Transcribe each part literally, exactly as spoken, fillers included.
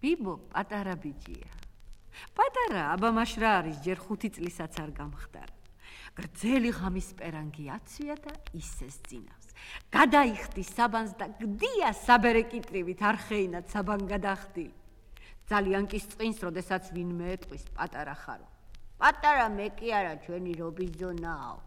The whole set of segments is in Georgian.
ბიბო პატარა ბიჭია. პატარა აბამაშრა არის, ჯერ ხუთი წლისაც არ გამხდარა. გრძელი ღამის პერანგი აცვია და ისეს წინავს. გადაიხდის საბანს და გდია საბერეკიტრივით არ ხეინად საბან გადახდი. ძალიან კი სწინს, როდესაც ვინმე ეტყვის პატარა ხარო. პატარა მე კი არა, ჩვენი რობიზონაო.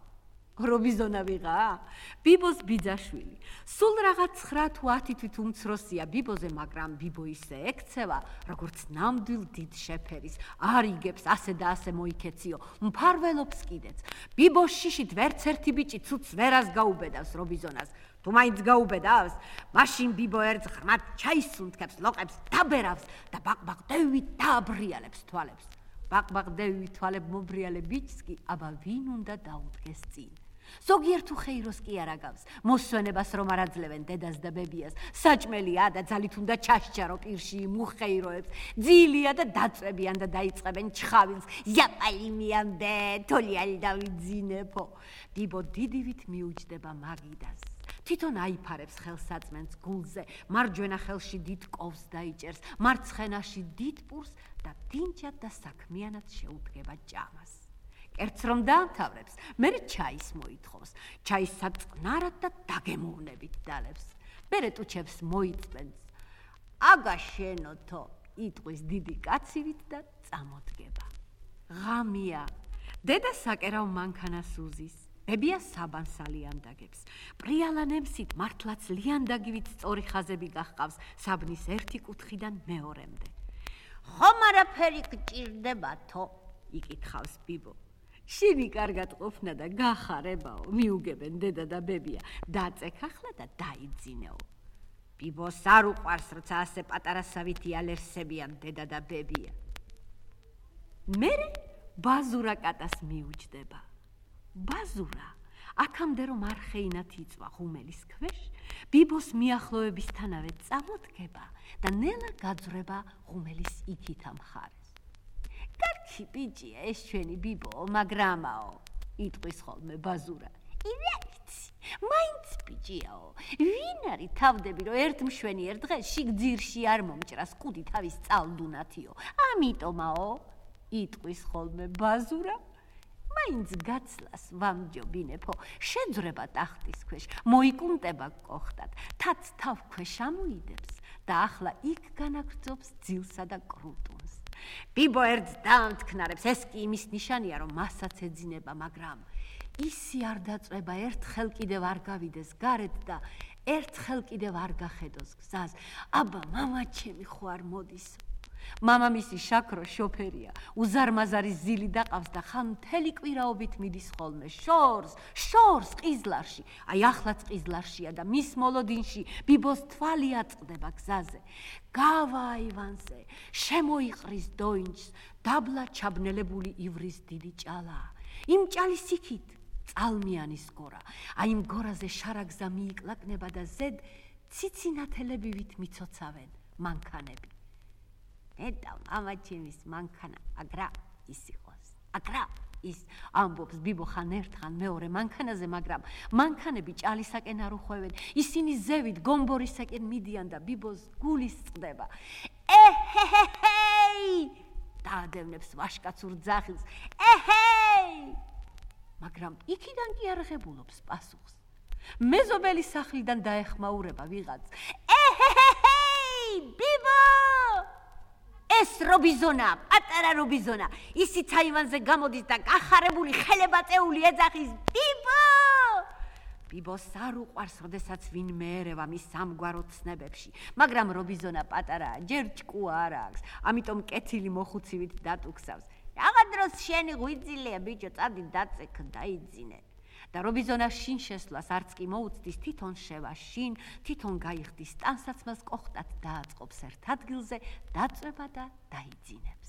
რობიზონა ვიღა? ბიბოს ბიძაშვილი. სულ რაღაც ცხრა თუ ათი თვით უმცროსია ბიბოზე, მაგრამ ბიბო ისე ექცევა, როგორც ნამდვილ დიდ შეფერის. არ იგებს ასე და ასე მოიქეციო, მფარველობს კიდეც. ბიბოს შიშით ვერც ერთი ბიჭი ცუცს ვერას გაუბედავს რობიზონას. თუ მაინც გაუბედავს, მაშინ ბიბო ერთ ღრმად ჩაის უნთქებს, ლოყებს დაბერავს და ბაყბაყდევით დააბრიალებს თვალებს. ბაყბაყდევით თვალებ მობრიალე ბიჭს კი აბა ვინ უნდა დაუდგეს წინ. ზოგიერთ უხეიროს კი არ აგავს, მოსვენებას რომ არ აძლევენ დედას და ბებიას, საჭმელია და ძალით უნდა ჩასჯარო პირში იმ უხეიროებს, ძილია და დაწვებიან და დაიწყებენ ჩხავილს, იაპალი მიამდე, თოლიალი დავიძინებო. ბიბო დიდივით მიუჯდება მაგიდას. თვითონ აიფარებს ხელსაწმენს გულზე, მარჯვენა ხელში დიდ კოვს დაიჭერს, მარცხენაში დიდ პურს და დინჯად და საქმიანად შეუდგება ჭამას. კერძს რომ დაამთავრებს, მერე ჩაის მოითხოვს, ჩაის საწყნარად და დაგემოვნებით დალევს. მერე ტუჩებს მოიწმენს. აგა შენოთო, იტყვის დიდი კაცივით და წამოდგება. ღამია. დედა საკერავ მანქანას უზის. ბებია საბანს ალიანდაგებს. პრიალა ნემსით მართლაც ლიანდაგივით სწორი ხაზები გახყავს საბნის ერთი კუთხიდან მეორემდე. ხომ არაფერი გჭირდებათო? იკითხავს ბიბო. შენი კარგად ყოფნა და გახარებაო, მიუგებენ დედა და ბებია. დაწეკ ახლა და დაიძინეო. ბიბოს არ უყვარს, როცა ასე პატარასავითი ალერსებიან დედა და ბებია. მერე ბაზურა კატას მიუჯდება. ბაზურა, აქამდე რომ არ ხეინათ იწვა ღუმელის ქვეშ, ბიბოს მიახლოებისთანავე წამოდგება და ნელა გაძვრება ღუმელის იქითა მხარეს. კარგი ბიჭია ეს ჩვენი ბიბო, მაგრამაო, იტყვის ხოლმე ბაზურა. ირაიცი, მაინც ბიჭიაო, ვინ არის თავდები, რომ ერთ მშვენი ერთ დღეს შიგძირში არ მომჭრას კუდი თავის წალდუნათიო. ამიტომაო, იტყვის ხოლმე ბაზურა. მაინც გაცლას ვამჯობინებო, შეძვრება ტახტის ქვეშ, მოიკუნტება კოხტად, თაც თავ ქვეშ ამოიდებს და ახლა იქ განაგრძობს ძილსა და კრუტუნს. ბიბო ერთს დაამთქნარებს, ეს კი იმის ნიშანია, რომ მასაც ეძინება, მაგრამ ისი არ დაწვება, ერთხელ კიდევ არ გავიდეს გარეთ და ერთხელ კიდევ არ გახედოს გზას. აბა, მამა ჩემი ხო არ მოდისო. მამამისი შაქრო შოფერია, უზარმაზარი ზილი დაყავს და ხან მთელი კვირაობით მიდის ხოლმე შორს, შორს ყიზლარში. აი ახლაც ყიზლარშია და მის მოლოდინში ბიბოს თვალი აწყდება გზაზე. გავა აივანზე, შემოიყრის დოინჯს, დაბლა ჩაბნელებული ივრის დიდი ჭალა. იმ ჭალის იქით წალმიანის გორა. აი იმ გორაზე შარაგზა მიიკლაკნება და ზედ ციცინათელებივით მიცოცავენ მანქანები. ეტა მამა ჩემის მანქანა აგრა ის იყოს. აგრა ის ამბობს ბიბო ხან ერთხან მეორე მანქანაზე, მაგრამ მანქანები ჭალისაკენ არ უხვევენ. ისინი ზევით გომბორისაკენ მიდიან და ბიბოს გულის წყდება. ეჰეჰეი! დაადევნებს ვაშკაცურ ძახილს. ეჰეი! მაგრამ იქიდან კი არ ღებულობს პასუხს. მეზობელი სახლიდან დაეხმაურება ვიღაც. ეჰეჰეი! ბიბო! ეს რობიზონა, პატარა რობიზონა, ისიც აივანზე გამოდის და გახარებული ხელებაწეული ეძახის. ბიბო! ბიბოს არ უყვარს, როდესაც ვინმე ერევა მის სამგვარო ცნებებში, მაგრამ რობიზონა პატარაა, ჯერ ჭკუა არ აქვს, ამიტომ კეთილი მოხუცივით დატუქსავს. რაღა დროს შენი ღვიძლია ბიჭო, წადი დაწეკ დაიძინე. და რობიზონა შინ შესვლას არც კი მოუწდის, თვითონ შევა შინ, თვითონ გაიხდის ტანსაცმელს, კოხტად დააწყობს ერთ ადგილზე, დაწვება და დაიძინებს.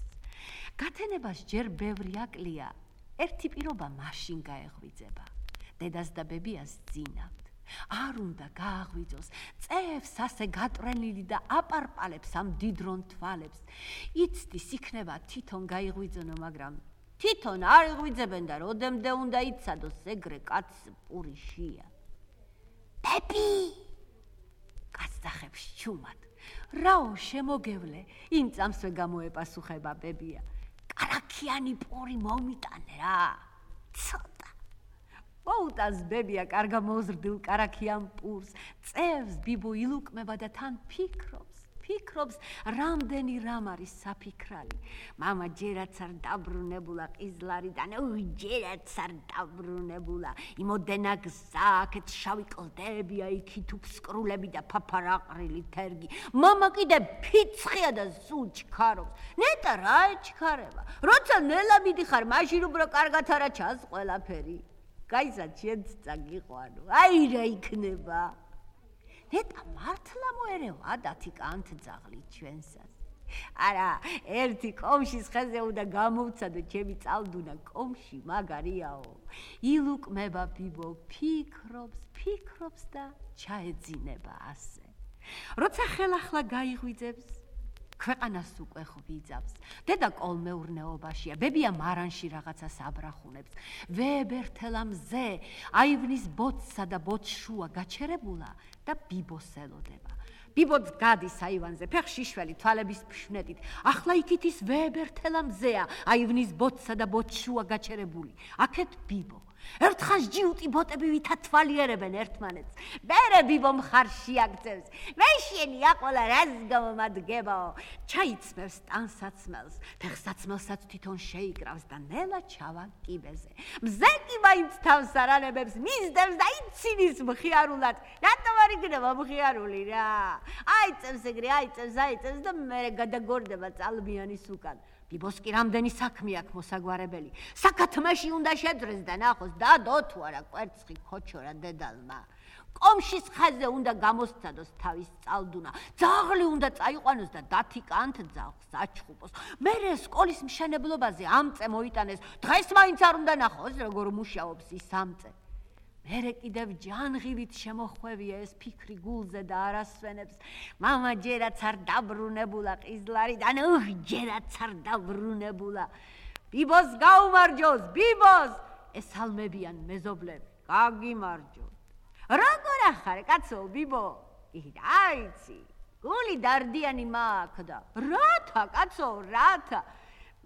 გათენებას ჯერ ბევრი აკლია, ერთი პირობა მაშინ გაეღვიძება. დედას და ბებიას ძინავთ. არ უნდა გააღვიძოს, წევს ასე გატრენილი და აპარპალებს ამ დიდრონ თვალებს. იცდის იქნება თვითონ გაიღვიძონო, მაგრამ თვითონ არ იღვიძებენ და როდემდე უნდა იცადოს, ეგრე კაცს პურიშია. ბები! კაცს დახებს ჩუმად. რაო შემოგევლე, იმ წამსვე გამოეპასუხება ბებია. კარაქიანი პური მომიტანე რა. ცოტა. მოუტანს ბებია კარგა მოზრდილ კარაქიან პურს, წევს ბიბო ილუკმება და თან ფიქრობს. ფიქრობს, რამდენი რამ არის საფიქრალი. მამა ჯერაც არ დაბრუნებულა ყიზლარიდან, უი, ჯერაც არ დაბრუნებულა. იმოდენა გზა, აქეთ შავი კლდებია, იქით უფსკრულები და ფაფარაყრილი თერგი. მამა კიდე ფიცხია და სულ ჩქარობს. ნეტა რა ეჩქარება? როცა ნელა მიდიხარ, მაშინ უფრო კარგად არა ჩანს ყველაფერი. გაიზად შენც წაგიყვანო. აი რა იქნება? ნეტა მართლა მოერევა დათიკანთ ძაღლი ჩვენსას. არა, ერთი კომშის ხეზე უნდა გამოვცადო ჩემი წალდუნა კომში მაგარიაო. ილუკმება ბიბო, ფიქრობს, ფიქრობს და ჩაეძინება ასე. როცა ხელახლა გაიღვიძებს, ქვეყანას უკვე ღვიძავს. დედა კოლმეურნეობაშია, ბებია მარანში რაღაცას აბრახუნებს. ვებერთელა მზე, აივნის ბოთსა და ბოთშუა გაჩერებულა და ბიბოს ელოდება. ბიბოც გადის აივანზე, ფეხშიშველი თვალების ფშვნეტით. ახლა იქით ის ვებერთელა მზეა, აივნის ბოთსა და ბოთშუა გაჩერებული. აქეთ ბიბო. ერთხანს ჯიუტი ბოტები ვითათვალიერებენ ერთმანეთს. მერე ბიბო მხარში აგწევს. მე შენია ყოლა რას გამომადგებაო. ჩაიცმევს ტანსაცმელს, ფეხსაცმელსაც თვითონ შეიკრავს და ნელა ჩავა კიბეზე. მზე კი მაინც თავს არანებებს, მისდევს და იცინის მხიარულად. რატომ არ იქნება მხიარული რა? აიწევს ეგრე, აიწევს, აიწევს და მერე გადაგორდება წალმიანის უკან. ბიბოს კი რამდენი საქმე აქვს მოსაგვარებელი. საკათმეში უნდა შედრეს და ნახოს დადო თუ არა კვერცხი ქოჩორა დედალმა. კომშის ხეზე უნდა გამოსცადოს თავის წალდუნა. ძაღლი უნდა წაიყვანოს და დათიკანთ ძაღლს აჩხუბოს. მერე სკოლის მშენებლობაზე ამწე მოიტანეს. დღეს მაინც არ უნდა ნახოს როგორ მუშაობს ის ამწე. მერე კიდევ ჯანღილით შემოხვევია ეს ფიქრი გულზე და არასვენებს. მამა ჯერაც არ დაბრუნებულა ყიზლარიდან, უх, ჯერაც არ დაბრუნებულა. ბიბოს გაუმარჯოს, ბიბოს! ესალმებიან მეზობლები. გაგიმარჯოთ. როგორ ახარ, კაცო, ბიბო? იცი, გული დარდიანი მაქვს და რათა, კაცო, რათა?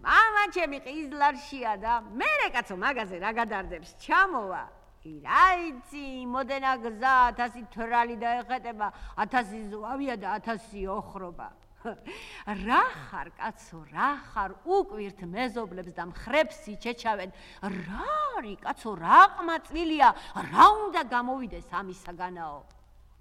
მამა ჩემი ყიზლარშია და მერე კაცო მაგაზე რა გადარდებს, ჩამოვა. ირაიცი, მოდენა გზა, ათასი თვრალი დაეხეტება, ათასი ზვავია და ათასი ოხრობა. რა ხარ, კაცო, რა ხარ, უკვირთ მეზობლებს და მხრებს იჩეჩავენ. რა არის, კაცო, რა ყმაწვილია, რა უნდა გამოვიდეს ამისაგანაო?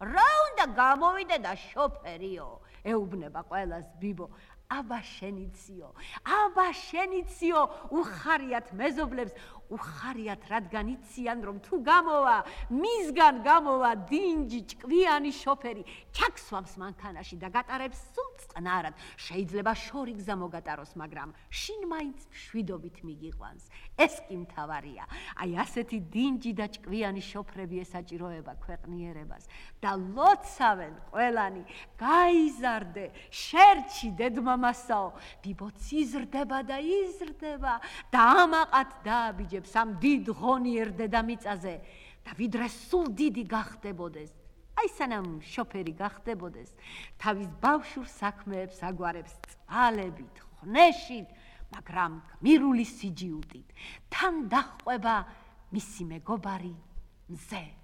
რა უნდა გამოვიდე და შოფერიო? ეუბნება ყველას ბიბო. აბა შენიციო, აბა შენიციო, უხარიათ მეზობლებს, უხარიათ რადგან იციან რომ თუ გამოვა, მისგან გამოვა დინჯი ჭკვიანი შოფერი, ჩაქსვამს მანქანაში და გატარებს სულ წყნარად. შეიძლება შორი გზა მოგატაროს, მაგრამ შინ მაინც მშვიდობით მიგიყვანს. ეს კი მთავარია. აი ასეთი დინჯი და ჭკვიანი შოფრები ესაჭიროება ქვეყნიერებას და ლოცავენ ყველანი. გაიზარდე, შერჩი დედმამასაო, ბიბოც იზრდება და იზრდება და ამაყად დააბიჯებს ამ დიდ ღონიერ დედამიწაზე და ვიდრე სულ დიდი გახდებოდეს, აი სანამ შოფერი გახდებოდეს, თავის ბავშვურ საქმეებს აგვარებს წყალებით, ხნეშით, მაგრამ გმირული სიჯიუტით. თან დაჰყვება მისი მეგობარი მზე.